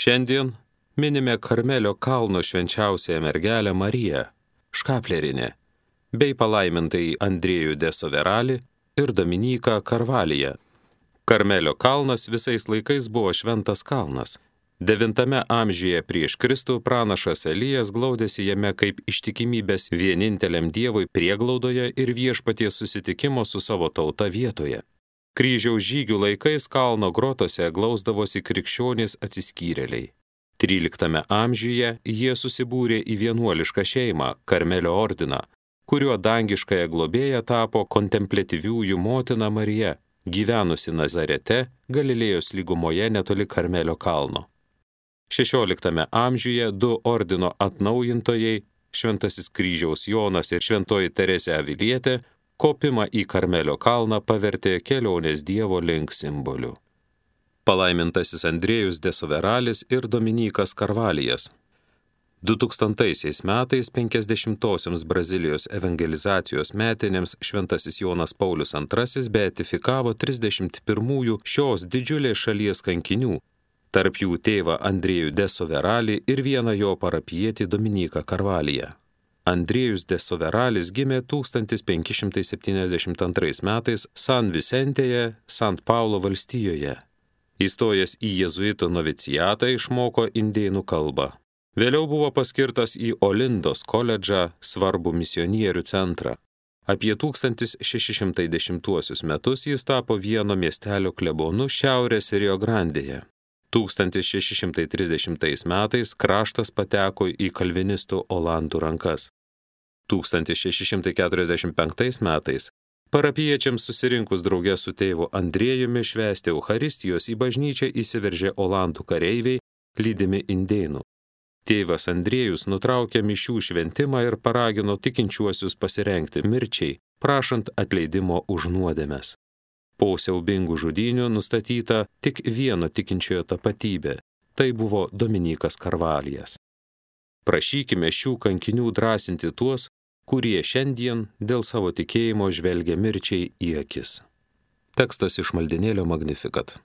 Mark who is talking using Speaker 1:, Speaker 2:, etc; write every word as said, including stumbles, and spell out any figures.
Speaker 1: Šiandien minime Karmelio kalno švenčiausiąją mergelę Mariją, Škaplerinę, bei palaimintai Andriejų de Soveralį ir Dominiką Karvaliją. Karmelio kalnas visais laikais buvo šventas kalnas. Devintame amžiuje prieš Kristų pranašas Elijas glaudėsi jame kaip ištikimybės vieninteliam Dievui prieglaudoje ir viešpaties susitikimo su savo tauta vietoje. Kryžiaus žygių laikais kalno grotose glausdavosi krikščionys atsiskyrėliai. tryliktame amžiuje jie susibūrė į vienuolišką šeimą, Karmelio ordiną, kurio dangiškąją globėją tapo kontempliatyviųjų motina Marija, gyvenusi Nazarete, Galilėjos lygumoje netoli Karmelio kalno. šešioliktame amžiuje du ordino atnaujintojai, Šventasis Kryžiaus Jonas ir Šventoji Teresė Avilietė, kopimą į Karmelio kalną pavertė kelionės Dievo link simboliu. Palaimintasis Andriejus de Soveralis ir Dominykas Karvalijas. dutūkstantaisiais metais penkiasdešimtosioms Brazilijos evangelizacijos metinėms Šventasis Jonas Paulius antrasis beatifikavo trisdešimt pirmųjų šios didžiulės šalies kankinių, tarp jų tėvą Andriejų de Soveralį ir vieną jo parapijietį Dominiką Karvaliją. Andriejus de Soveralis gimė tūkstantis penki šimtai septyniasdešimt antrais metais San Vicentėje, Sant Paulo valstijoje. Įstojęs į jėzuitų novicijatą išmoko indėnų kalbą. Vėliau buvo paskirtas į Olindos koledžą, svarbų misionierių centrą. Apie tūkstantis šeši šimtai dešimtuosius metus jis tapo vieno miestelio klebonu šiaurės Rio Grandėje. tūkstantis šeši šimtai trisdešimtais metais kraštas pateko į kalvinistų olandų rankas. tūkstantis šeši šimtai keturiasdešimt penktais metais parapiečiams susirinkus drauge su tėvu Andriejumi švęsti Eucharistijos į bažnyčią įsiveržė olandų kareiviai, lydimi indėnų. Tėvas Andriejus nutraukė mišių šventimą ir paragino tikinčiuosius pasirengti mirčiai, prašant atleidimo už nuodėmes. Po siaubingų žudynių nustatyta tik vieno tikinčiojo tapatybė – tai buvo Dominikas Karvalijas. Prašykime šių kankinių drąsinti tuos, kurie šiandien dėl savo tikėjimo žvelgia mirčiai į akis. Tekstas iš maldinėlio Magnificat.